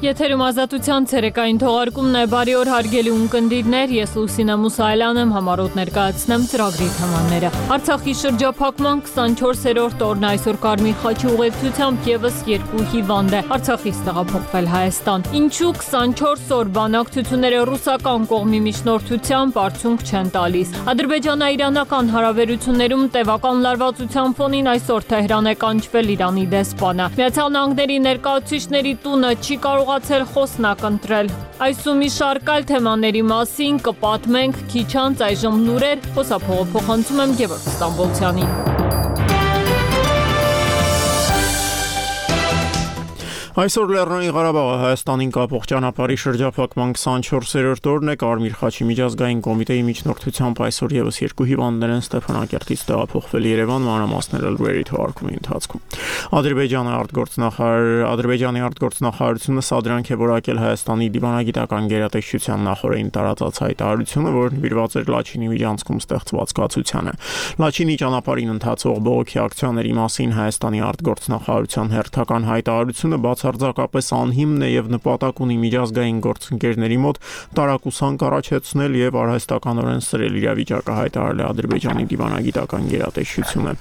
Եթերում ազատության ցերեկային թողարկումն է, բարի օր հարգելի ունկնդիրներ, ես Լուսինե Մուսայելյան եմ, համառոտ ներկայացնեմ ծրագրի թեմաները։ Արցախի շրջափակման 24-րդ օրն այսօր Կարմիր խաչի ուղեկցությամբ եւս 2 հիվանդ է Արցախից տեղափոխվել Հայաստան։ Ինչու 24 օր բանակցությունները ռուսական կողմի միջնորդությամբ արդյունք չեն տալիս։ Ադրբեջանա-իրանական հարաբերություններում տևական լարվածության ֆոնին այսօր Թեհրան է կանչվել Իրանի դեսպանը։ Միացյալ Նահանգների ներկայացուցիչների տունը չի կարողացել խոսնակ ընտրել։ Այս ու մի շարք այլ թեմաների մասին կպատմենք քիչ անց, այժմ լուրեր, խոսափողը փոխանցում եմ Գևորգ Ստամբոլցյանին։ Այսօր Լեռնային Ղարաբաղը Հայաստանին կապող ճանապարհի շրջափակման 24-րդ օրն է, Կարմիր խաչի միջազգային կոմիտեի միջնորդությամբ այսօր եւս 2 հիվանդներ են Ստեփանակերտից տեղափոխվել Երևան, մանրամասները լուրերի թողարկումի ընթացքում։ Ադրբեջանի արտգործնախարարությունը սադրանք է որակել Հայաստանի դիվանագիտական գերատեսչության նախորդին տարածած հայտարարությունը, որը նվիրված էր Լաչինի միջանցքում ստեղծված կացությանը։ Լաչինի ճանապարհին ընթացող բողոքի ակցիաների մասին Հայաստանի արտգործնախարարության հերթական հայտարարությունը բացարձակապես անհիմն է եւ նպատակ ունի միջազգային գործընկերների մոտ տարակուսանք առաջացնել եւ արհեստականորեն սրել իրավիճակը, հայտարարել է Ադրբեջանի դիվանագիտական գերատեսչությունը։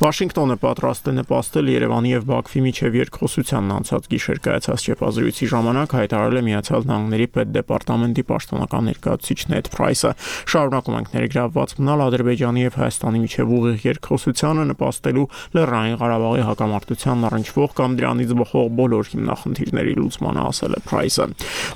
Վաշինգտոնը պատրաստ է նպաստել Երևանի եւ Բաքվի միջև երկխոսությանն անցած գիշեր կայացած ճեպազրույցի ժամանակ, հայտարարել է Միացյալ Նահանգների պետդեպարտամենտի պաշտոնական ներկայացուցիչ Նեդ Փրայսը։ Շարունակում ենք ներգրավված մնալ Ադրբեջանի եւ Հայաստանի միջև ուղիղ երկխոսությանը, նպաստելու Լեռնային Ղարաբաղի հակամարտությանն առնչվող կամ դրանից բխող բոլոր հիմնախնդիրների լուծմանը, ասել է Փրայսը։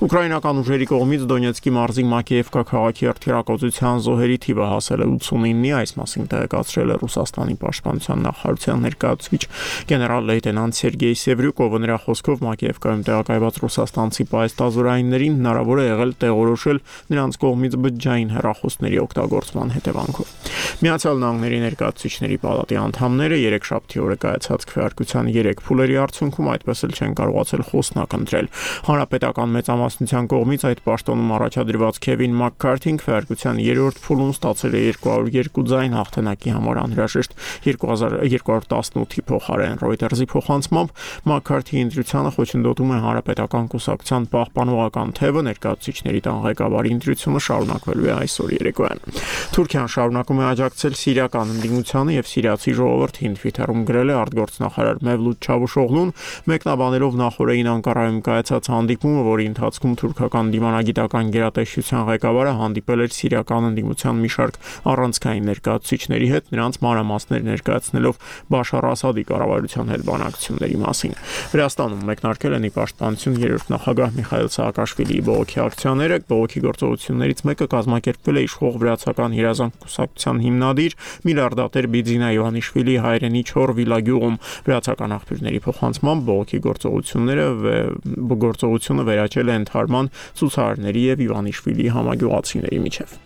Ուկրաինական ուժերի կողմից Դոնեցկի մարզի Մակեևկա քաղաքի հրթիռակոծության զոհերի թիվը հասել է 89-ի, այս մասին տեղեկացրել է Ռուսաստանի պաշտպանության նախարարության ներկայացուցիչ գեներալ-լեյտենանտ Սերգեյ Սևրյուկովը։ Նրա խոսքով Մակեևկայում տեղակայված ռուսաստանցի պայստազորայիններին հնարավոր է եղել տեղորոշել նրանց կողմից բջջային հեռախոսների օգտագործման հետևանքով։ Միացյալ Նահանգների ներկայացուցիչների պալատի անդամները երեքշաբթի օրը կայացած քվեարկության 3 փուլերի արդյունքում այդպես էլ չեն կարողացել խոսնակ ընտրել։ Հանրապետական մեծամասնության կողմից այդ պաշտոնում առաջադրված Քևին Մաքքարթին քվեարկության 3-րդ փուլում ստացել է 202 ձայն, հաղթանակի համար անհրաժեշտ 2218-ի փոխարեն։ Reuters-ի փոխանցմամբ Մաքքարթի ընտրությանը խոչընդոտում է Հանրապետական կուսակցության պահպանողական թևը, ներկայացուցիչների տան ղեկավարի ընտրությունը շարունակվելու է այսօր երեկոյան։ Թուրքիան շարունակում է աջակցել սիրիական ընդդիմությանը եւ սիրիացի ժողովրդին, Twitter-ում գրել է արտգործնախարար Մևլութ Չավուշօղլուն, մեկնաբանելով նախորդին Անկարայում կայացած հանդիպումը, որի ընթացքում թուրքական դիվանագիտական գերատեսչության ղեկավարը հանդիպել էր սիրիական ընդդիմության մի շարք առանցքային ներկայացուցիչների հետ, նրանց մանրամասներ ներկայացնելով Բաշար Ասադի կառավարության հետ բանակցությունների մասին։ Վրաստանում մեկնարկել են ի պաշտպանություն 3-րդ նախագահ Միխայիլ Սաակաշվիլիի բողոքի ակցիաները, բողոքի գործողություններից մեկը կազմակերպվել է իշխող վրացական երազանք կուսակցության հիմնադիր միլիարդատեր Բիձինա Իվանիշվիլիի հայրենի Չոր Վիլագյուղում։ Վրացական աղբյուրների փոխանցմամբ բողոքի գործողությունը վերաճել է ընդհարման ցուցարարների եւ Իվանիշվիլիի համագյուղացիների միջև։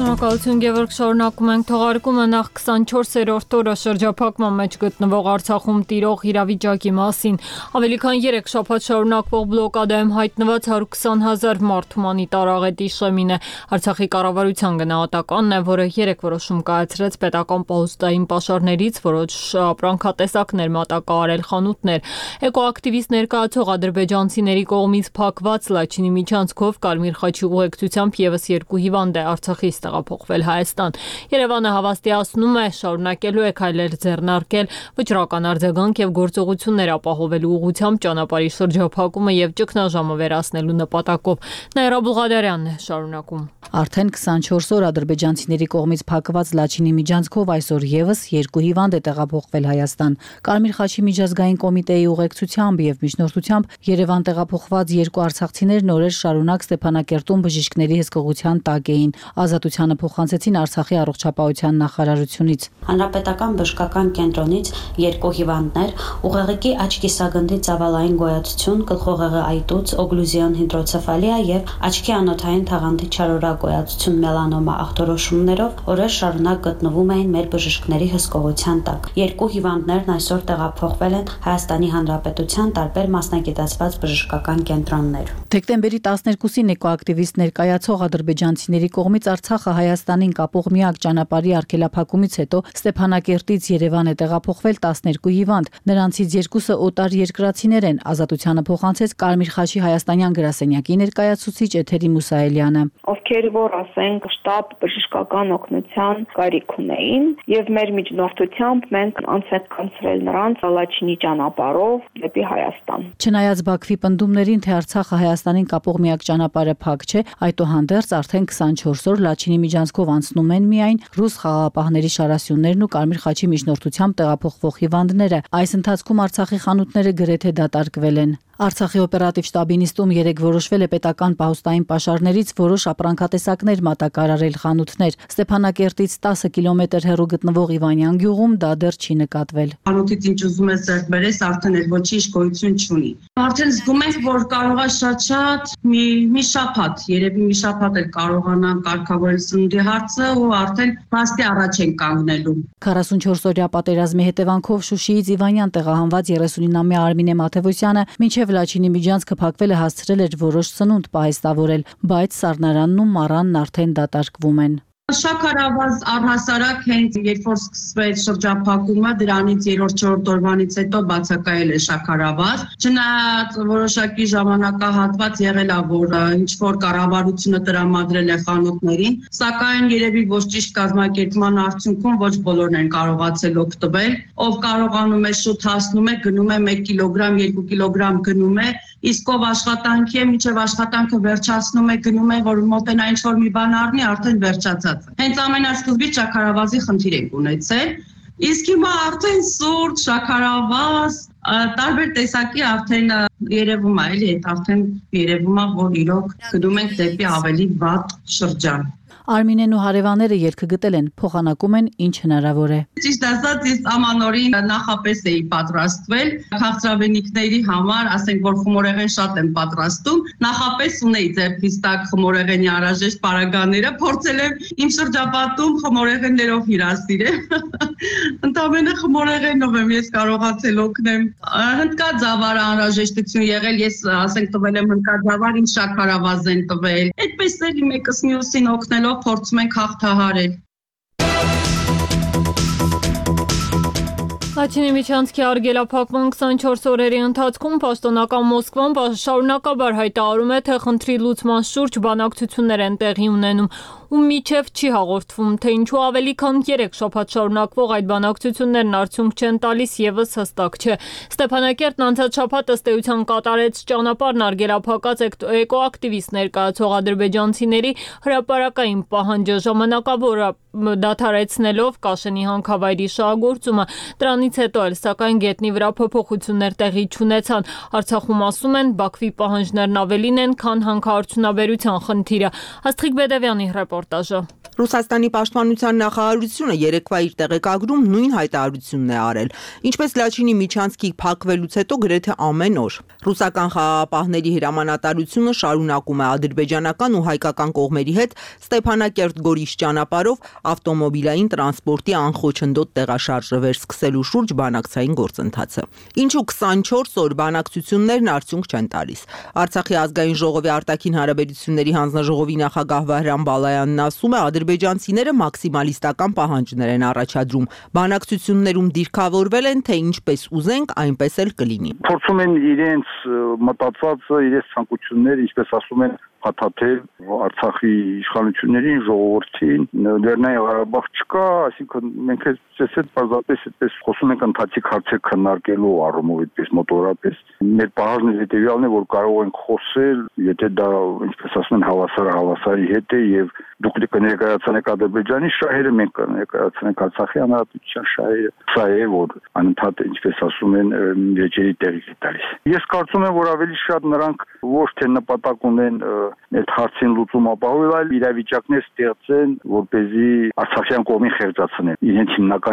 Շնորհակալություն Գևորգ, շարունակում ենք թողարկումը։ Նախ 24-րդ օրը շրջափակման մեջ գտնվող Արցախում տիրող իրավիճակի մասին։ Ավելի քան 3 շաբաթ շարունակվող բլոկադայում հայտնված 120,000 մարդ հումանիտար աղետի շեմին է։ Արցախի կառավարության գնահատականն է, որը 3 որոշում կայացրեց պետական պահուստային պաշարներից, որոշ ապրանքատեսակներ մատակարարել խանութներ։ Էկոակտիվիստ ներկայացող ադրբեջանցիների կողմից փակված Լաչինի միջանցքով Կարմիր խաչի ուղեկցությամբ եւս 2 հիվանդ է Արցախից տեղափոխվել Հայաստան։ Երևանը հավաստիացնում է, շարունակելու է քայլեր ձեռնարկել վճռական արձագանք եւ գործողություններ ապահովելու ուղղությամբ ճանապարհի շրջափակումը եւ ճգնաժամը վերացնելու նպատակով։ Նաիրա Բուղադարյանն է շարունակում։ Արդեն 24 օր ադրբեջանցիների կողմից փակված Լաչինի միջանցքով այսօր եւս 2 հիվանդ է տեղափոխվել Հայաստան։ Կարմիր խաչի միջազգային կոմիտեի ուղեկցությամբ եւ միջնորդությամբ Երևան տեղափոխված 2 արցախցիներ նորեր շարունակ Ստեփանակերտում բժիշկների հսկողության տակ էին։ Ազատությանը փոխանցեցին Արցախի առողջապահության նախարարությունից։ Հանրապետական բժշկական կենտրոնից 2 հիվանդներ, ուղեղիկի աչքիսագնդի ծավալային գոյացություն, գլխուղեղի այտուց, օգլյուզիոն հիդրոցեֆալիա եւ աչքի անոթային թաղանթի չարորագոյացություն մելանոմա ախտորոշումներով օրեր շարունակ գտնվում էին մեր բժիշկների հսկողության տակ։ 2 հիվանդներն այսօր տեղափոխվել են Հայաստանի Հանրապետության տարբեր մասնագիտացված բժշկական կենտրոններ։ Դեկտեմբերի 12-ին էկոակտիվիստ ներկայացող ադրբեջանցիների կողմից Արցախը հայ Հայաստանին կապող միակ ճանապարհի արգելափակումից հետո Ստեփանակերտից Երևան է տեղափոխվել 12 հիվանդ, նրանցից 2-ը օտար երկրացիներ են, ազատությանը փոխանցեց Կարմիր խաչի հայաստանյան գրասենյակի ներկայացուցիչ Էթերի Մուսայելյանը։ Ովքեր որ ասենք շտապ բժշկական օգնության կարիք ունեին եւ մեր միջնորդությամբ մենք անցկացրել նրանց Լաչինի ճանապարհով դեպի Հայաստան։ Չնայած Բաքվի պնդումներին, թե Արցախը Հայաստանին կապող միակ ճանապարհը փակ չէ, այդուհանդերձ արդեն 24 օր Լաչինի միջանցքով անցնում են միայն ռուս խաղաղապահների շարասյուններն ու Կարմիր խաչի միջնորդությամբ տեղափոխվող հիվանդները։ Այս ընթացքում Արցախի խանութները գրեթե դատարկվել են։ Արցախի օպերատիվ շտաբի նիստում երեկ որոշվել է պետական պահոստային պաշարներից որոշ ապրանքատեսակներ մատակարարել խանութներ։ Ստեփանակերտից 10 կիլոմետր հեռու գտնվող Իվանյան գյուղում դա դեռ չի նկատվել։ Խանութից ինչ ուզում ես ձեռք բերես, արդեն էլ ոչինչ գոյություն չունի։ Արդեն զգում ենք, որ կարող է շատ մի շաբաթ, երևի մի շաբաթ էլ կարողանան կարգավորել սննդի հարցը ու արդեն փաստի առաջ են կանգնելու։ 44-օրյա պատերազմի հետևանքով Շուշիից Իվանյան տեղահանված 39-ամյա Արմինե Մաթևոսյանը մինչև Լաչինի միջանցքը փակվել է հասցրել էր որոշ սնունդ պահեստավորել, բայց սառնարանն ու մառանն արդեն դատարկվում են։ Շաքարավազ առհասարակ հենց երբ որ սկսվեց շրջափակումը, դրանից 3-4 օրվանից հետո բացակայել է շաքարավազ։ Չնայած որոշակի ժամանակահատված եղել է, որ ինչ որ կառավարությունը տրամադրել է խանութներին, սակայն երևի ոչ ճիշտ կազմակերպման արդյունքում ոչ բոլորն են կարողացել օգտվել։ Ով կարողանում է շուտ հասնում է, գնում է 1 կիլոգրամ, 2 կիլոգրամ գնում է, իսկ ով աշխատանքի է, մինչև աշխատանքը վերջացնում է, գնում է, որ մոտենա ինչ որ մի բան առնի, արդեն վերջացած։ Հենց ամենասկզբից շաքարավազի խնդիր ենք ունեցել, իսկ հիմա արդեն սուրճ, շաքարավազ, տարբեր տեսակի արդեն երևում է, էլի, արդեն երևում է, որ իրոք գնում ենք դեպի ավելի վատ շրջան։ Արմինեն ու հարևանները ելքը գտել են, փոխանակում են ինչ հնարավոր է։ Ճիշտ ասած, ես ամանորին նախապես էի պատրաստվել քաղցրավենիքների համար, ասենք որ խմորեղեն շատ եմ պատրաստում, նախապես ունեի ձեռքիս տակ խմորեղենի անհրաժեշտ պարագաները, փորձել եմ իմ շրջապատում խմորեղեններով հյուրասիրել։ Ընդամենը խմորեղենով եմ ես կարողացել օգնեմ։ Հնդկաձավար անհրաժեշտություն եղել, ես ասենք տվել եմ հնդկաձավար, ինձ շաքարավազ են տվել։ Այդպես էլի մեկս մյուսին օգնելով փորձում ենք հաղթահարել։ Լաչինի միջանցքի արգելափակման 24 օրերի ընթացքում պաշտոնական Մոսկվան շարունակաբար հայտարարում է, թե խնդրի լուծման շուրջ բանակցություններ են տեղի ունենում ու միջև չի հաղորդվում, թե ինչու ավելի քան 3 շաբաթ շարունակվող այդ բանակցություններն արդյունք չեն տալիս եւս հստակ չէ։ Ստեփանակերտն անցած շաբաթ ըստ էության կատարեց ճանապարհն արգելափակած էկոակտիվիստ ներկայացող ադրբեջանցիների հրապարակային պահանջը ժամանակավոր դադարեցնելով Կաշենի հանքավայրի շահագործումը։ Դրանից հետո էլ սակայն գետնի վրա փոփոխություններ տեղի չունեցան։ Արցախում ասում են Բաքվի պահանջներն ավելին են, քան հանքարդյունաբերության խնդիրը։ Աստղիկ Բեդևյանի ռեպորտաժը։ Ռուսաստանի պաշտպանության նախարարությունը երեկվա իր տեղեկագրում նույն հայտարարությունն է արել, ինչպես Լաչինի միջանցքի փակվելուց հետո գրեթե ամեն օր։ Ռուսական խաղաղապահների հրամանատարությունը շարունակում է ադրբեջանական ու հայկական կողմերի հետ Ստեփանակերտ-Գորիս ճանապարհով ավտոմոբիլային տրանսպորտի անխոչնդոտ տեղաշարժը վերսկսելու շուրջ բանակցային գործընթացը։ Ինչու 24 օր բանակցություններն արդյունք չեն տալիս։ Արցախի ազգային ժողովի արտաքին հարաբերությունների հանձնաժողովի նախագահ Վահրամ Բալայանն ասում է, ադրբեջանցիները մաքսիմալիստական պահանջներ են առաջադրում։ Բանակցություններում դիրքավորվել են, թե ինչպես ուզենք, այնպես էլ կլինի։ Փորձում են իրենց մտածածը, իրենց ցանկությունները, ինչպես ասում են, հաթաթել Արցախի իշխանություններին, ժողովրդին, Լեռնային Ղարաբաղ չկա, այսինքն մենք այդ պարզապես այդպես խոսում ենք ընթացիկ հարցեր քննարկելու առումով, այդպես մոտորապես։ Մեր պահանջն հետևյալն է, որ կարող ենք խոսել, եթե դա, ինչպես ասում են, հավասարի հետ է եւ դուք կներկայացնեք Ադրբեջանի շահերը, մենք կներկայացնենք Արցախի հանրապետության շահերը։ Սա է, որ անընդհատ, ինչպես ասում են, վեճերի տեղի տալիս։ Ես կարծում եմ, որ ավելի շատ նրանք ոչ թե նպատակ ունեն այդ հարցին լուծում ապահովել, այլ իրավիճակներ ստեղծեն, որպեսզի արցախյան կողմին խեղճացնեն, իրենց հիմնական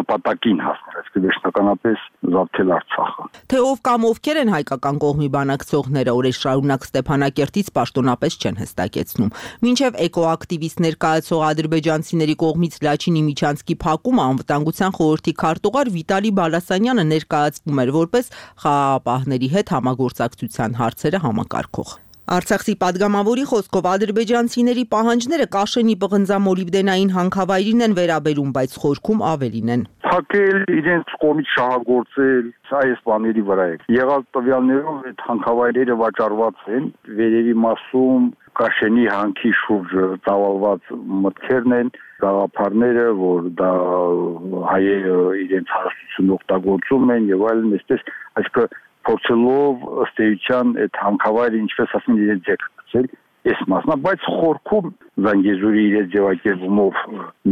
նպատակին հասնել, այսինքն վերջնականապես զավթել Արցախը։ Թե ով կամ ովքեր են հայկական կողմի բանակցողները, օրեր շարունակ Ստեփանակերտից պաշտոնապես չեն հստակեցնում։ Մինչև էկոակտիվիստ ներկայացող ադրբեջանցիների կողմից Լաչինի միջանցքի փակումը անվտանգության խորհրդի քարտուղար Վիտալի Բալասանյանը ներկայացվում էր որպես խաղաղապահների հետ համագործակցության հարցերը համակարգող։ Արցախի падգամավորի խոսքով ադրբեջանցիների պահանջները Կաշենի պղնձամոլիբդենային հանքավայրին են վերաբերում, բայց խորքում ավելին են։ Փակել, իրենց կողմից շահագործել, սա այս բաների վրա է։ Եղած տվյալներով այդ հանքավայրերը վաճառված են, վերերի մասում Կաշենի հանքի շուրջ ծավալված մտքերն են, գաղափարները, որ դա հայերը իրենց հարստությունը օգտագործում են եւ այլն, այստեղ այսինքն փորձելով ըստ էության այդ հանքավայրը ինչպես ասում իրենց ձեռք գցել, այս մասնա, բայց խորքում Զանգեզուրի իրենց ձևակերպումով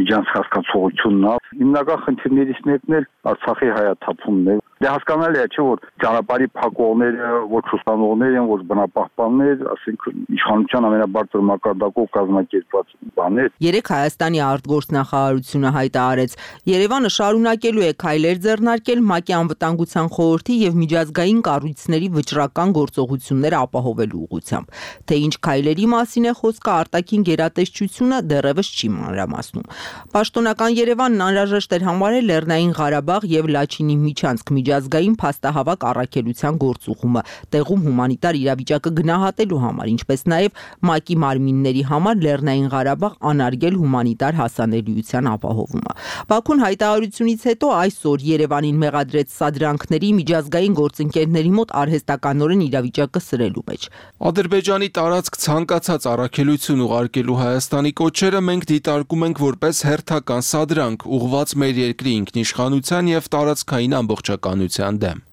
միջանց հասկացողությունն է։ Հիմնական խնդիրներից մեկն էլ Արցախի հայաթափումն է։ Դե հասկանալի է, չէ՞ որ ճանապարհի փակողները ոչ ուսանողներ են, ոչ բնապահպաններ, ասենք իշխանության ամենաբարձր մակարդակով կազմակերպված բաներ։ Երեք Հայաստանի արտգործնախարարությունը հայտարարեց, Երևանը շարունակելու է քայլեր ձեռնարկել ՄԱԿ-ի անվտանգության խորհրդի եւ միջազգային կառույցների վճռական գործողությունները ապահովելու ուղղությամբ։ Թե ինչ քայլերի մասին է խոսքը, արտաքին գերատեսչությունը դեռևս չի մանրամասնում։ Պաշտոնական Երևանն անհրաժեշտ էր համարել Լեռնային Ղարաբաղ եւ Լաչինի միջանցք միջազգային փաստահավաք առաքելության գործուղումը, տեղում հումանիտար իրավիճակը գնահատելու համար, ինչպես նաեւ ՄԱԿ-ի մարմինների համար Լեռնային Ղարաբաղ անարգել հումանիտար հասանելիության ապահովումը։ Բաքուն հայտարարությունից հետո այսօր Երևանին մեղադրեց սադրանքների միջազգային գործընկերների մոտ արհեստականորեն իրավիճակը սրելու մեջ։ Ադրբեջանի տարածք ցանկացած առաքելություն ուղարկելու Հայաստանի կոչերը մենք դիտարկում ենք որպես հերթական սադրանք, ուղղված մեր երկրի ինքնիշխանության եւ տարածքային ամբողջականության դեմ։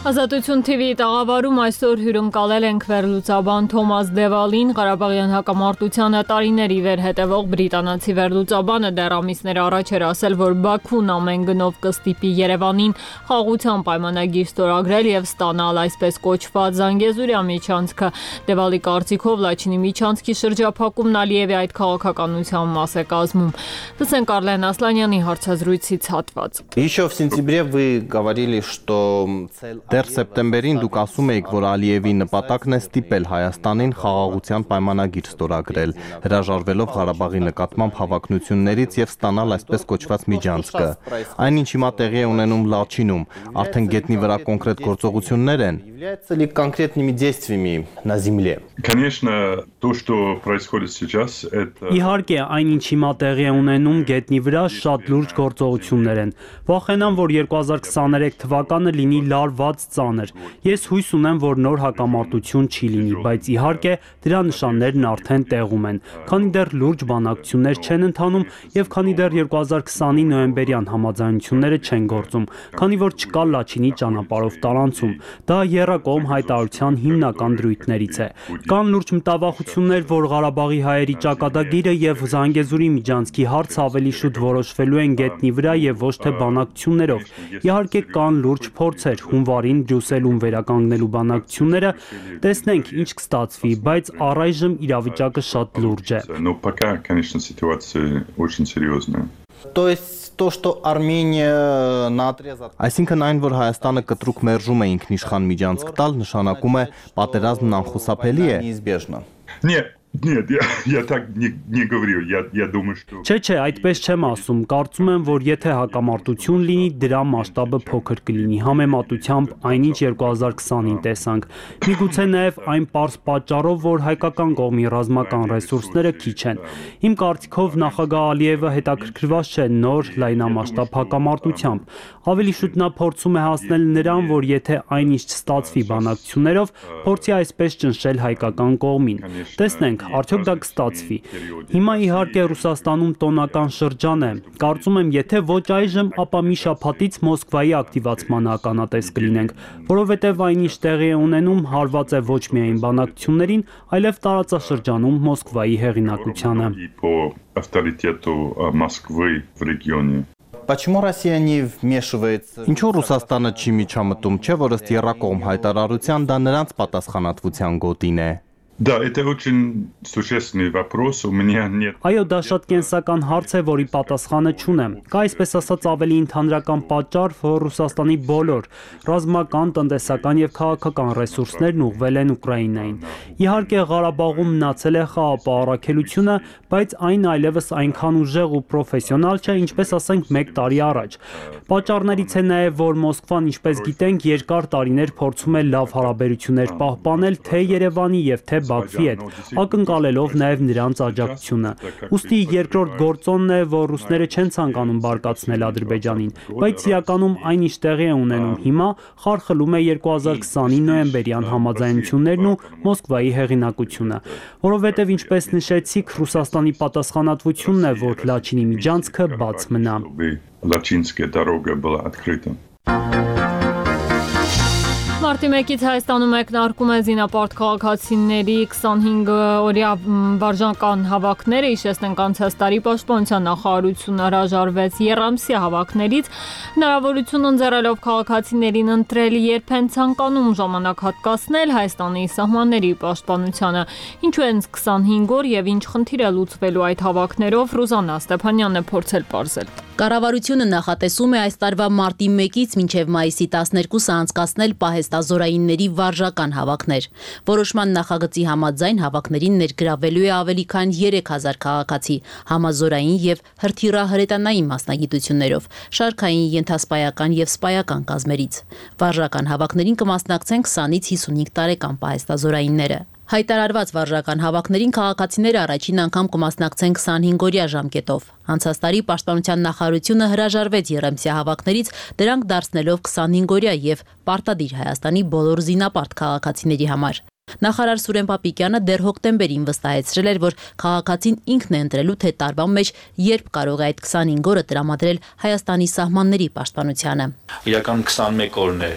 Ազատություն TV-ի տաղավարում այսօր հյուրընկալել ենք վերլուծաբան Թոմաս Դևալին, Ղարաբաղյան հակամարտությանը տարիների վեր հետևող բրիտանացի վերլուծաբանը դեռ ամիսներ առաջ էր ասել, որ Բաքուն ամեն գնով կստիպի Երևանին խաղաղության պայմանագիր ստորագրել եւ ստանալ այսպես կոչված Զանգեզուրի միջանցքը։ Դևալի կարծիքով Լաչինի միջանցքի շրջափակումն Ալիևի այդ քաղաքականության մաս է կազմում։ Լսենք Արլեն Ասլանյանի հարցազրույցից հատված։ Еще в сентябре вы говорили, что Դեռ սեպտեմբերին դուք ասում էիք, որ Ալիևի նպատակն է ստիպել Հայաստանին խաղաղության պայմանագիր ստորագրել, հրաժարվելով Ղարաբաղի նկատմամբ հավակնություններից եւ ստանալ այսպես կոչված միջանցքը։ Այնինչ հիմա տեղի է ունենում Լաչինում, արդեն գետնի վրա կոնկրետ գործողություններ են։ Является ли конкретными действиями на земле? Конечно, то, что происходит сейчас, это Իհարկե, այնինչ հիմա տեղի է ունենում գետնի վրա շատ լուրջ գործողություններ են։ Վախենամ, որ 2023 թվականը լինի լարված ծանր։ Ես հույս ունեմ, որ նոր հակամարտություն չի լինի, բայց իհարկե դրա նշաններն արդեն տեղում են։ Քանի դեռ լուրջ բանակցություններ չեն ընթանում եւ քանի դեռ 2020-ի նոյեմբերյան համաձայնությունները չեն գործում, քանի որ չկա Լաչինի ճանապարհով տարանցում։ Դա եռակողմ հայտարարության հիմնական դրույթներից է։ Կան լուրջ մտավախություններ, որ Ղարաբաղի հայերի ճակատագիրը եւ Զանգեզուրի միջանցքի հարցը ավելի շուտ որոշվելու են գետնի վրա եւ ոչ թե բանակցություններով։ Իհարկե կան լուրջ փորձեր հունվարին Բրյուսելում վերականգնելու բանակցությունները, տեսնենք ինչ կստացվի, բայց առայժմ իրավիճակը շատ լուրջ է։ Но пока, конечно, ситуация очень серьезная. То есть то, что Армения на отрезок Այսինքն այն, որ Հայաստանը կտրուկ մերժում է ինքնիշխան միջանցք տալ, նշանակում է պատերազմն անխուսափելի է։ Неизбежно. Нет, я так не говорю. Я думаю, что Չէ, այդպես չեմ ասում։ Կարծում եմ, որ եթե հակամարտություն լինի, դրա մասշտաբը փոքր կլինի, համեմատությամբ այնինչ 2020-ին տեսանք։ Միգուցե նաև այն պարզ պատճառով, որ հայկական կողմի ռազմական ռեսուրսները քիչ են։ Իմ կարծիքով նախագահ Ալիևը հետաքրքրված չէ նոր լայնամասշտաբ հակամարտությամբ։ Ավելի շուտ նա փորձում է հասնել նրան, որ եթե այնինչ չստացվի բանակցություններով, փորձի այսպես ճնշել հայկական կողմին։ Տեսնենք, արդյոք դա կստացվի։ Հիմա իհարկե Ռուսաստանում տոնական շրջան է։ Կարծում եմ, եթե ոչ այժմ, ապա մի շաբաթից Մոսկվայի ակտիվացման ականատես կլինենք, որովհետև այնինչ տեղի է ունենում հարված է ոչ միայն բանակցություններին, այլև տարածաշրջանում Մոսկվայի հեղինակությանը։ по авторитету Москвы в регионе. Почему Россия не вмешивается? Ինչու Ռուսաստանը չի միջամտում, չէ՞ որ ըստ եռակողմ հայտարարության դա նրանց պատասխանատվության գոտին է։ Да, это очень существенный вопрос. У меня нет. Այո, դա շատ կենսական հարց է, որի պատասխանը չունեմ։ Կա այսպես ասած ավելի ընդհանրական պատճառ, որ Ռուսաստանի բոլոր ռազմական, տնտեսական եւ քաղաքական ռեսուրսներն ուղղվել են Ուկրաինային։ Իհարկե, Ղարաբաղում մնացել է խաղապահ առաքելությունը, բայց այն այլևս այնքան ուժեղ ու պրոֆեսիոնալ չէ, ինչպես ասենք 1 տարի առաջ։ Պատճառներից է նաեւ, որ Մոսկվան, ինչպես գիտենք, երկար տարիներ փորձում է լավ հարաբերություններ պահպանել թե Երևանի եւ թե Բաքվի հետ, ակնկալելով նաև նրանց աջակցությունը։ Ուստի երկրորդ գործոնն է, որ ռուսները չեն ցանկանում բարկացնել Ադրբեջանին, բայց իրականում այն ինչ տեղի է ունենում հիմա, խարխլում է 2020-ի նոյեմբերյան համաձայնություններն ու Մոսկվայի հեղինակությունը, որովհետև ինչպես նշեցիք, Ռուսաստանի պատասխանատվությունն է, որ Լաչինի միջանցքը բաց մնա։ Лачинская дорога была открыта. Մարտի 1-ից Հայաստանում մեկնարկում է զինապարտ քաղաքացիների 25-օրյա վարժական հավաքները, հիշեցնենք անցած տարի Պաշտպանության նախարարությունը հրաժարվեց եռամսյա հավաքներից, հնարավորություն ընձեռելով քաղաքացիներին ընտրել երբ են ցանկանում ժամանակ հատկացնել Հայաստանի սահմանների պաշտպանությանը։ Ինչու են 25 օր եւ ինչ խնդիր է լուծվելու այդ հավաքներով, Ռուզաննա Ստեփանյանն է փորձել պարզել։ Կառավարությունը նախատեսում է այս տարվա մարտի 1-ից մինչև մայիսի 12-ը անցկացնել պահեստազորայինների վարժական հավաքներ։ Որոշման նախագծի համաձայն հավաքներին ներգրավելու է ավելի քան 3000 քաղաքացի, համազորային եւ հրթիռահրետանային մասնագիտություններով, շարքային, ենթասպայական եւ սպայական կազմերից։ Վարժական հավաքներին կմասնակցեն 20-ից 55 տարեկան պահեստազորայինները։ Հայտարարված վարժական հավաքներին քաղաքացիները առաջին անգամ կմասնակցեն 25-օրյա ժամկետով։ Անցած տարի Պաշտպանության նախարարությունը հրաժարվեց եռամսյա հավաքներից, դրանք դարձնելով 25-օրյա եւ պարտադիր Հայաստանի բոլոր զինապարտ քաղաքացիների համար։ Նախարար Սուրեն Պապիկյանը դեռ հոկտեմբերին վստահեցրել էր, որ քաղաքացին ինքն է ընտրելու, թե տարվա մեջ երբ կարող է այդ 25 օրը տրամադրել Հայաստանի սահմանների պաշտպանությանը։ Իրական 21 օրն է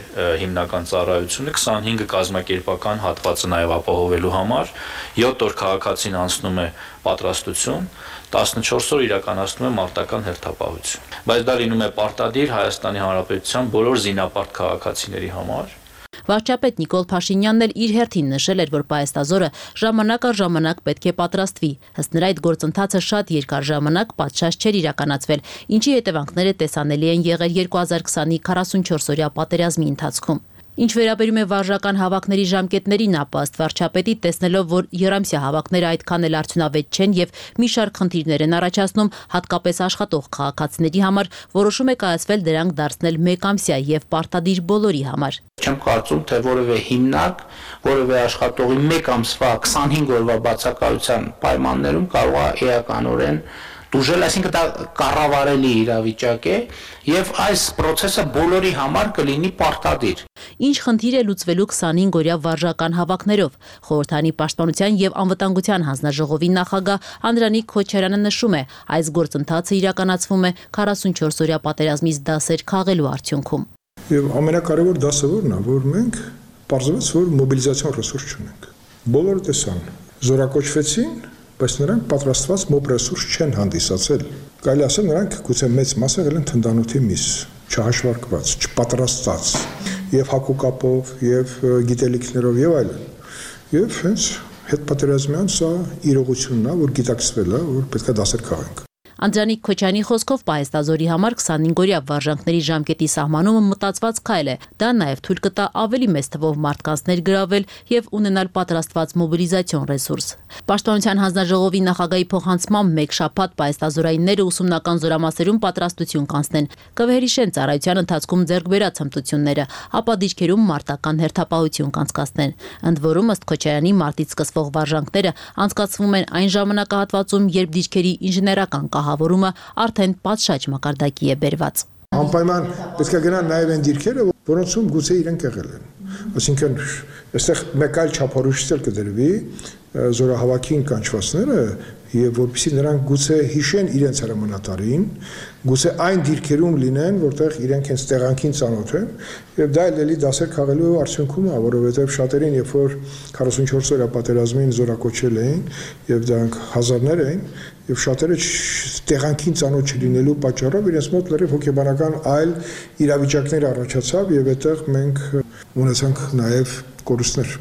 հիմնական ծառայությունը, 25-ը կազմակերպական հատվածը նաև ապահովելու համար, 7 օր քաղաքացին անցնում է պատրաստություն, 14 օր իրականացնում է մարտական հերթապահություն։ Բայց դա լինում է պարտադիր Հայաստանի Հանրապետության բոլոր զինապարտ քաղաքացիների համար։ Վարչապետ Նիկոլ Փաշինյանն էլ իր հերթին նշել էր, որ պահեստազորը ժամանակ առ ժամանակ պետք է պատրաստվի։ Ըստ նրա այդ գործընթացը շատ երկար ժամանակ պատշաճ չէր իրականացվել, ինչի հետևանքները տեսանելի են եղել 2020-ի 44-օրյա պատերազմի ընթացքում։ Ինչ վերաբերում է վարժական հավաքների ժամկետներին, ապա ըստ վարչապետի, տեսնելով, որ եռամսյա հավաքները այդքան էլ արդյունավետ չեն եւ մի շարք խնդիրներ են առաջացնում, հատկապես աշխատող քաղաքացիների համար, որոշում է կայացվել դրանք դարձնել մեկամսյա եւ պարտադիր բոլորի համար։ Չեմ կարծում, թե որևէ հիմնարկ, որևէ աշխատողի 1 ամսվա 25 օրվա բացակայության պայմաններում կարող է էականորեն դուժել, այսինքն դա կառավարելի իրավիճակ է եւ այս process-ը բոլորի համար կլինի պարտադիր։ Ինչ խնդիր է լուծվելու 25-օրյա վարժական հավաքներով։ Խորհրդանի պաշտպանության եւ անվտանգության հանձնաժողովի նախագահ Անդրանիկ Քոչարյանը նշում է, այս գործընթացը իրականացվում է 44-օրյա պատերազմից դասեր քաղելու արդյունքում։ Եվ ամենակարևոր դասը որն է, որ մենք պարզվեց, որ մոբիլիզացիոն ռեսուրս չունենք։ Բոլորը տեսան, զորակոչվեցին, բայց նրանք պատրաստված մոբ ռեսուրս չեն հանդիսացել։ Կարելի ասել նրանք գուցե մեծ մասը եղել են թնդանոթի միս, չհաշվարկված, չպատրաստած, եւ հակուկապով, եւ գիտելիքներով եւ այլն։ Եվ հենց հետպատերազմյան սա իրողությունն է, որ գիտակցվել է, որ պետք է դասեր քաղենք։ Անդրանիկ Քոչյանի խոսքով պահեստազորի համար 25-օրյա վարժանքների ժամկետի սահմանումը մտածված քայլ է։ Դա նաև թույլ կտա ավելի մեծ թվով մարդկանց ներգրավել եւ ունենալ պատրաստված մոբիլիզացիոն ռեսուրս։ Պաշտպանության հանձնաժողովի նախագահի փոխանցմամբ մեկ շաբաթ պահեստազորայինները ուսումնական զորամասերում պատրաստություն կանցնեն, կվերհիշեն ծառայության ընթացքում ձեռք բերած հմտությունները, ապա դիրքերում մարտական հերթապահություն կանցկացնեն։ Ընդ որում, ըստ Քոչարյանի, մարտից սկսվող վարժանքները անցկացվում են այն ժամանակահատվածում, երբ դիրքերի ինժեներական կահավորումը արդեն պատշաճ մակարդակի է բերված։ Անպայման պետք է գնան նաև այն դիրքերը, որոնցում գուցե իրենք եղել են։ Այսինքն, այստեղ մեկ այլ չափորոշիչ կդրվի զորահավաքին կանչվածները եւ որպեսզի նրանք գուցե հիշեն իրենց հրամանատարին, գուցե այն դիրքերում լինեն, որտեղ իրենք հենց տեղանքին ծանոթ են, եւ դա էլի դասեր քաղելու արդյունքում է, որովհետեւ շատերին, երբ որ 44 օրյա պատերազմին զորակոչել էին եւ դրանք հազարներ էին, եւ շատերը տեղանքին ծանոթ չլինելու պատճառով իրենց մոտ լրիվ հոգեբանական այլ իրավիճակներ առաջացավ եւ այդտեղ մենք ունեցանք նաեւ կորուստներ։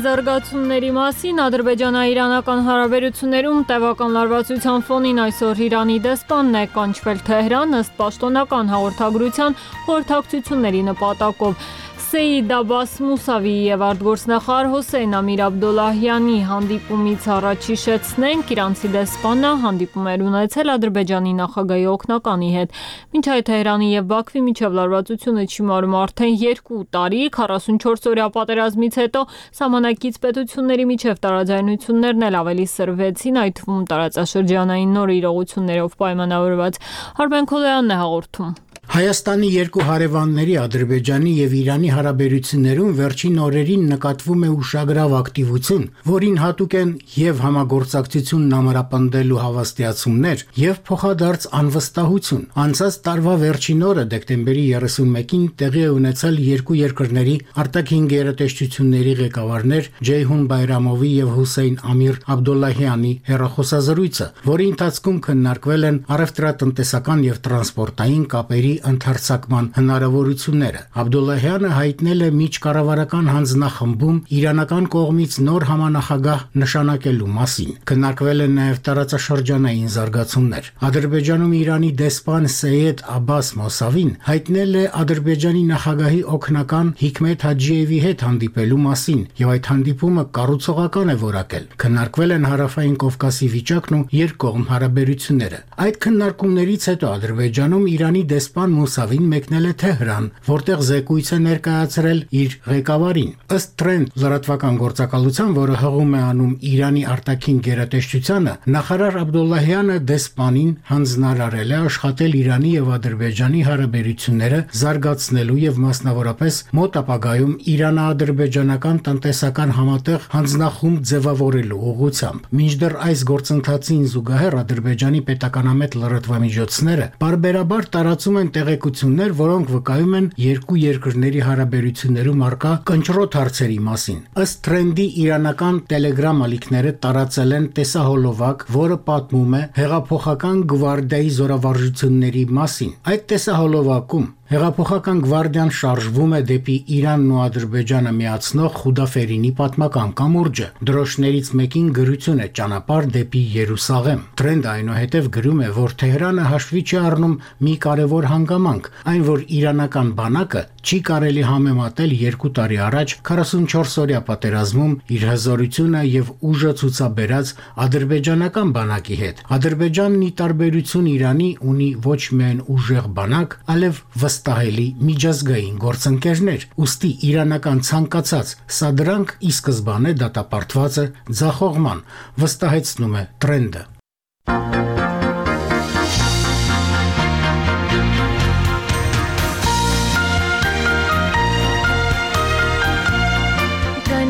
զարգացումների մասին ադրբեջանա-իրանական հարաբերություններում տևական լարվածության ֆոնին այսօր Իրանի դեսպանն է կանչվել Թեհրան ըստ պաշտոնական հաղորդագրության խորհրդակցությունների նպատակով։ Սեյիդ Աբբաս Մուսավիի եւ արտգործնախարար Հոսեյն Ամիր Աբդոլլահյանի հանդիպումից առաջ հիշեցնենք, իրանցի դեսպանը հանդիպում էր ունեցել Ադրբեջանի նախագահի օգնականի հետ։ Մինչ այդ Թեհրանի եւ Բաքվի միջև լարվածությունը չիմարում արդեն 2 տարի, 44-օրյա պատերազմից հետո սահմանակից պետությունների միջև տարաձայնություններն էլ ավելի սրվեցին, այդ թվում տարածաշրջանային նոր իրողություններով պայմանավորված։ Արմեն Քոլոյանն է հաղորդում։ Հայաստանի երկու հարևանների Ադրբեջանի եւ Իրանի հարաբերություններում վերջին օրերին նկատվում է ուշագրավ ակտիվություն, որին հատուկ են եւ համագործակցությունն ամրապնդելու հավաստիացումներ եւ փոխադարձ անվստահություն։ Անցած տարվա վերջին օրը դեկտեմբերի 31-ին տեղի է ունեցել երկու երկրների արտաքին գերատեսչությունների ղեկավարներ Ջեյհուն Բայրամովի եւ Հոսեյն Ամիր Աբդոլլահյանի հեռախոսազրույցը, որի ընթացքում քննարկվել են առևտրատնտեսական եւ տրանսպորտային կապերի ընդարձակման հնարավորությունները։ Աբդոլլահյանը հայտնել է միջկառավարական հանձնախմբում իրանական կողմից նոր համանախագահ նշանակելու մասին։ Քննարկվել են նաև տարածաշրջանային զարգացումներ։ Ադրբեջանում Իրանի դեսպան Սեյեդ Աբբաս Մոսավին հայտնել է Ադրբեջանի նախագահի օգնական Հիկմետ Հաջիևի հետ հանդիպելու մասին եւ այդ հանդիպումը կառուցողական է որակել։ Քննարկվել են Հարավային Կովկասի վիճակն ու երկկողմ հարաբերությունները։ Այդ քննարկումներից հետո Ադրբեջանում Իրանի դեսպան Մուսավին մեկնել է Թեհրան, որտեղ զեկույց է ներկայացրել իր ղեկավարին։ Ըստ Trend լրատվական գործակալության, որը հղում է անում Իրանի արտաքին գերատեսչությանը, նախարար Աբդոլլահյանը դեսպանին հանձնարարել է աշխատել Իրանի եւ Ադրբեջանի հարաբերությունները զարգացնելու եւ մասնավորապես մոտ ապագայում Իրано-ադրբեջանական տնտեսական համատեղ հանձնախումբ ձևավորելու ուղղությամբ։ Մինչդեռ այս գործընթացին զուգահեռ Ադրբեջանի պետականամետ լրատվամիջոցները բարբերաբար տարածում են տեղեկություններ, որոնք վկայում են երկու երկրների հարաբերություններում առկա կնճռոտ հարցերի մասին։ Ըստ Trend-ի իրանական Telegram ալիքները տարածել են տեսահոլովակ, որը պատմում է հեղափոխական գվարդիայի զորավարժությունների մասին։ Այդ տեսահոլովակում Հեղափոխական գվարդիան շարժվում է դեպի Իրանն ու Ադրբեջանը միացնող Խուդաֆերինի պատմական կամուրջը։ Դրոշներից մեկին գրություն է ճանապարհ դեպի Երուսաղեմ։ Trend այնուհետև գրում է, որ Թեհրանը հաշվի չի առնում մի կարևոր հանգամանք, այն որ իրանական բանակը չի կարելի համեմատել 2 տարի առաջ 44-օրյա պատերազմում իր հզորությունը եւ ուժը ցուցաբերած ադրբեջանական բանակի հետ։ Ադրբեջանն ի տարբերություն Իրանի ունի ոչ միայն ուժեղ բանակ, այլև վստահելի միջազգային գործընկերներ, ուստի իրանական ցանկացած սադրանք ի սկզբանե դատապարտված է ձախողման, վստահեցնում է Trend-ը։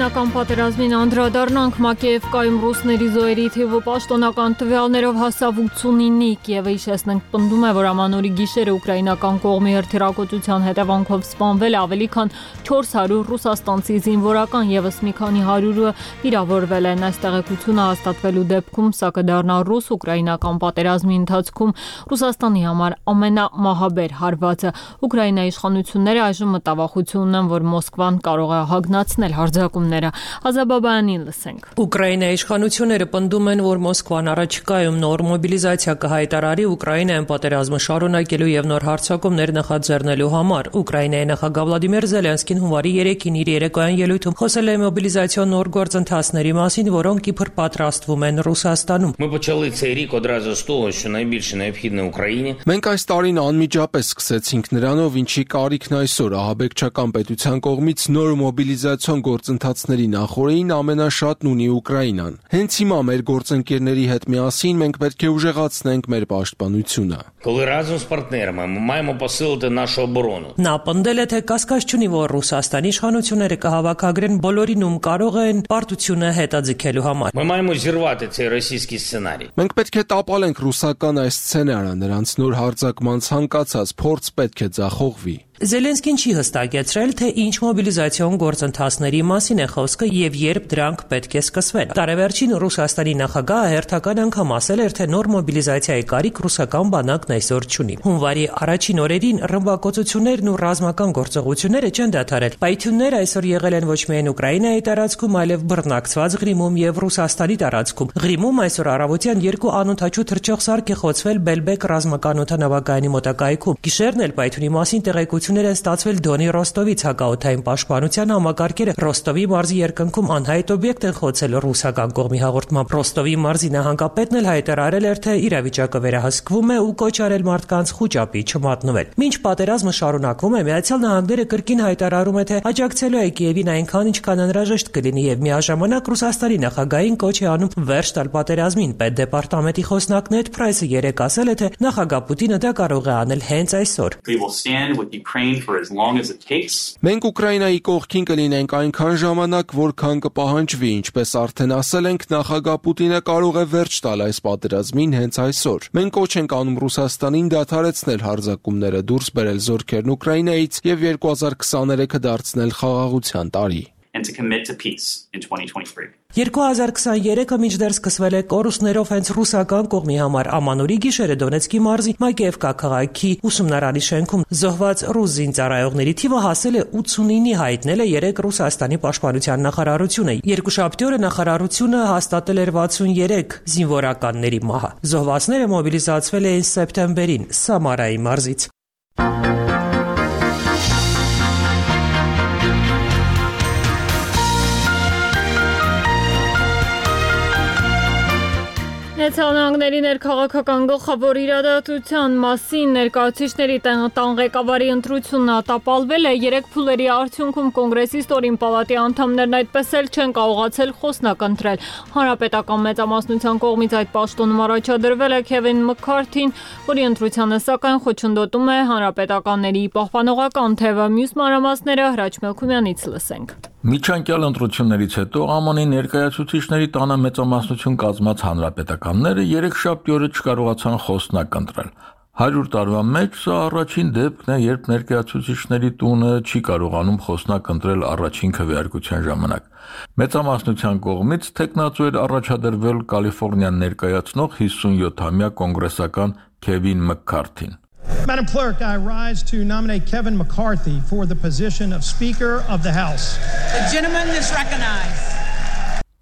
Ուկրաինական պատերազմին անդրադառնանք, Մակեևկայում ռուսների զոհերի թիվը պաշտոնական տվյալներով հասավ 89-ի, Կիևը հիշեցնենք պնդում է, որ ամանորի գիշերը ուկրաինական կողմի հրթիռակոծության հետևանքով սպանվել ավելի քան 400 ռուսաստանցի զինվորական, եւս մի քանի 100-ը վիրավորվել են։ Այս տեղեկությունը հաստատվելու դեպքում սա կդառնա ռուս-ուկրաինական պատերազմի ընթացքում Ռուսաստանի համար ամենամահաբեր հարվածը։ Ուկրաինայի իշխանությունները այժմ մտավախություն ունեն, որ Մոսկվան կարող է հագնացնել հարձակումները։ Ազաբաբայանին լսենք։ Ուկրաինայի իշխանությունները պնդում են, որ Մոսկվան առաջիկայում նոր մոբիլիզացիա կհայտարարի Ուկրաինայում պատերազմը շարունակելու եւ նոր հարձակումներ նախաձեռնելու համար։ Ուկրաինայի նախագահ Վլադիմիր Զելենսկին հունվարի 3-ին իր երեկոյան ելույթում խոսել է մոբիլիզացիոն նոր գործընթացների մասին, որոնք իբր պատրաստվում են Ռուսաստանում։ Ми почали цей рік одразу з того, що найбільше необхідне Україні. Մենք այս տարին անմիջապես սկսեցինք նրանով, ինչի կարիքն այսօր ահաբեկչական պետության կողմից նոր մոբիլիզացիոն գործընթացների նախորդին ամենաշատն ունի Ուկրաինան։ Հենց հիմա մեր գործընկերների հետ միասին մենք պետք է ուժեղացնենք մեր պաշտպանությունը։ Коли разом з партнерами ми маємо посилити нашу оборону. Նա պնդել է, թե կասկած չունի, որ Ռուսաստանի իշխանությունները կհավաքագրեն բոլորին, ում կարող են պարտությունը հետաձգելու համար։ Ми маємо зірвати цей російський сценарій. Մենք պետք է տապալենք ռուսական այս սցենարը, նրանց նոր հարձակման ցանկացած փորձ պետք է ձախողվի։ Զելենսկին չի հստակեցրել, թե ինչ մոբիլիզացիոն գործընթացների մասին է խոսքը եւ երբ դրանք պետք է սկսվեն։ Տարեվերջին Ռուսաստանի նախագահը հերթական անգամ ասել էր, թե նոր մոբիլիզացիայի կարիք ռուսական բանակն այսօր չունի։ Հունվարի առաջին օրերին ռմբակոծություններն ու ռազմական գործողությունները չեն դադարել։ Պայթյունները այսօր եղել են ոչ միայն Ուկրաինայի տարածքում, այլև բռնակցված Ղրիմում եւ Ռուսաստանի տարածքում։ Ղրիմում այսօր առավոտյան 2 անօդաչու թռչող սարք է խոցվել Բելբեկ ռազմական օդանավակայանի մոտակայքում։ Գիշերն էլ պայթյունի մասին տեղեկություններ են ստացվել Դոնի Ռոստովից հակաօդային պաշտպանության համակարգերը Ռոստովի մարզի երկնքում անհայտ օբյեկտ են խոցել ռուսական կողմի հաղորդմամբ։ Ռոստովի մարզի նահանգապետն էլ հայտարարել էր, թե իրավիճակը վերահսկվում է ու կոչ արել մարդկանց խուճապի չմատնվել։ Մինչ պատերազմը շարունակվում է, Միացյալ Նահանգները կրկին հայտարարում է, թե աջակցելու է Կիևին այնքան, ինչքան անհրաժեշտ կլինի եւ միաժամանակ Ռուսաստանի նախագահային կոչ է անում վերջ տալ պատերազմին։ Պետդեպարտամենտի խոսնակ Նեդ Պրայսը երեկ ասել է, թե նախագահ Պուտինը դա կարող է անել հենց այսօր։ Մենք Ուկրաինայի կողքին կլինենք այնքան ժամանակ, որքան կպահանջվի, ինչպես արդեն ասել ենք, նախագահ Պուտինը կարող է վերջ տալ այս պատերազմին հենց այսօր։ Մենք կոչ ենք անում Ռուսաստանին դադարեցնել հարձակումները, դուրս բերել զորքերն Ուկրաինայից եւ 2023-ը դարձնել խաղաղության տարի։ 2023-ը մինչդեռ սկսվել է կորուստներով հենց ռուսական կողմի համար։ Ամանորի գիշերը Դոնեցկի մարզի Մակեևկա քաղաքի ուսումնարանի շենքում զոհված ռուս զինծառայողների թիվը հասել է 89-ի, հայտնել է երեկ Ռուսաստանի պաշտպանության նախարարությունը։ Երկուշաբթի օրը նախարարությունը հաստատել էր 63 զինվորականների մահը։ Զոհվածները մոբիլիզացվել էին սեպտեմբերին Սամարայի մարզից։ Նեթանյանների ներքաղաքական գլխավոր իրադարձության մասին ներկայացուցիչների տան ղեկավարի ընտրությունն ատապալվել է։ 3 փուլերի արդյունքում կոնգրեսի ստորին պալատի անդամներն այդպես էլ չեն կարողացել խոսնակ ընտրել։ Հանրապետական մեծամասնության կողմից այդ պաշտոնում առաջադրվել է Քևին Մքքարթին, որի ընտրությանը սակայն խոչընդոտում է հանրապետականների պահպանողական թևը։ Մյուս մանրամասները Հրաչ Մելքումյանից լսենք։ Միջանկյալ ընտրություններից հետո ԱՄՆ-ի ներկայացուցիչների տանը մեծամասնություն կազմած հանրապետականները երեքշաբթի օրը չկարողացան խոսնակ ընտրել։ 100 տարվա մեջ սա առաջին դեպքն է, երբ ներկայացուցիչների տունը չի կարողանում խոսնակ ընտրել առաջին քվեարկության ժամանակ։ Մեծամասնության կողմից թեկնածու էր առաջադրվել Կալիֆոռնիան ներկայացնող 57-ամյա կոնգրեսական Քևին Մքքարթին։ Madam Clerk, I rise to nominate Kevin McCarthy for the position of Speaker of the House. The gentleman is recognized.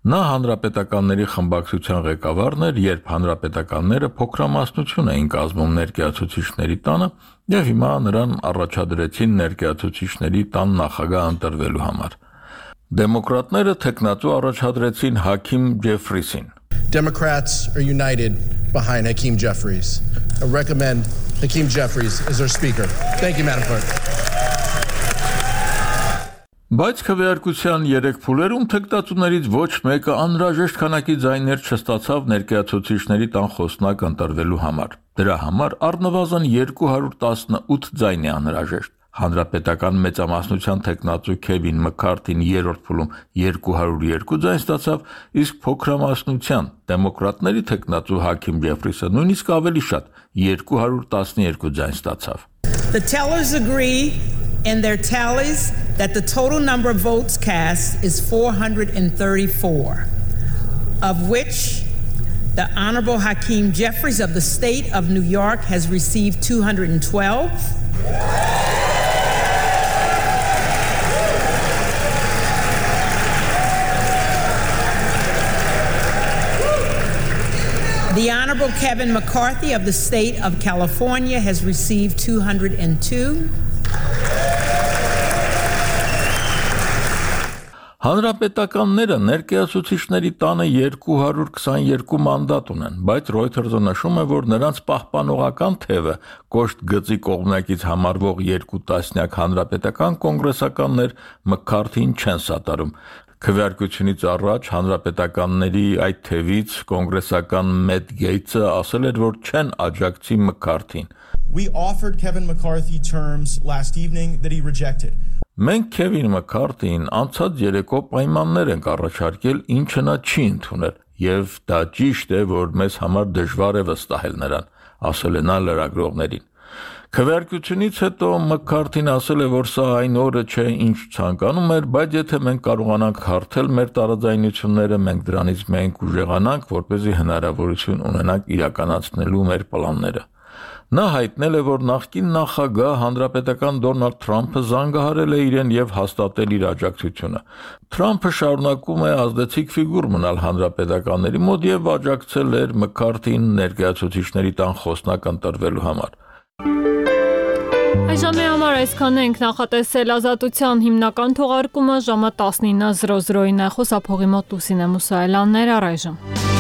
Նա հանրապետականների խմբակցության ղեկավարն էր, երբ հանրապետականները փոքրամասնություն էին կազմում ներկայացուցիչների տանը եւ հիմա նրան առաջադրեցին ներկայացուցիչների տան նախագահ ընտրվելու համար։ Դեմոկրատները թեկնածու առաջադրեցին Հաքիմ Ջեֆրիսին։ Democrats are united behind Hakeem Jeffries. I recommend Hakeem Jeffries as our speaker. Thank you, Madam Clerk. Բայց քվեարկության 3 փուլերում թեկնածուներից ոչ մեկը անհրաժեշտ քանակի ձայներ չստացավ ներկայացուցիչների տան խոսնակ ընտրվելու համար։ Դրա համար առնվազն 218 ձայն է անհրաժեշտ։ Հանրապետական մեծամասնության թեկնածու Քևին Մքքարթին 3-րդ փուլում 202 ձայն ստացավ, իսկ փոքրամասնության դեմոկրատների թեկնածու Հաքիմ Ջեֆրիսը նույնիսկ ավելի շատ 212 ձայն ստացավ։ The tellers agree in their tallies that the total number of votes cast is 434, of which the Honorable Hakeem Jeffries of the state of New York has received 212. The Honorable Kevin McCarthy of the state of California has received 202. Հանրապետականները ներկայացուցիչների տանը 222 մանդատ ունեն, բայց Reuters-ը նշում է, որ նրանց պահպանողական թևը կոշտ գծի կողմնակից համարվող 2 տասնյակ հանրապետական կոնգրեսականներ Մքքարթին չեն սատարում։ Քվեարկությունից առաջ հանրապետականների այդ թևից կոնգրեսական Մեթ Գեյթսը ասել էր, որ չեն աջակցի Մքքարթին։ We offered Kevin McCarthy terms last evening that he rejected. Մենք Քևին Մքքարթին անցած երեկո պայմաններ ենք առաջարկել, ինչը նա չի ընդունել, եւ դա ճիշտ է, որ մեզ համար դժվար է վստահել նրան, ասել է նա լրագրողներին։ Քվեարկությունից հետո Մքքարթին ասել է, որ սա այն օրը չէ, ինչ ցանկանում էր, բայց եթե մենք կարողանանք հարթել մեր տարաձայնությունները, մենք դրանից միայն կուժեղանանք, որպեսզի հնարավորություն ունենանք իրականացնելու մեր պլանները։ Նա հայտնել է, որ նախկին նախագահ հանրապետական Դոնալդ Թրամփը զանգահարել է իրեն եւ հաստատել իր աջակցությունը։ Թրամփը շարունակում է ազդեցիկ ֆիգուր մնալ հանրապետականների մոտ եւ աջակցել էր Մքքարթին ներկայացուցիչների տան խոսնակ ընտրվելու համար։ Այժմի համար այսքան ենք, նախատեսել Ազատության հիմնական թողարկումը ժամը 19:00-ին է, խոսափողի մոտ Լուսինե Մուսայելյաններ, առայժմ։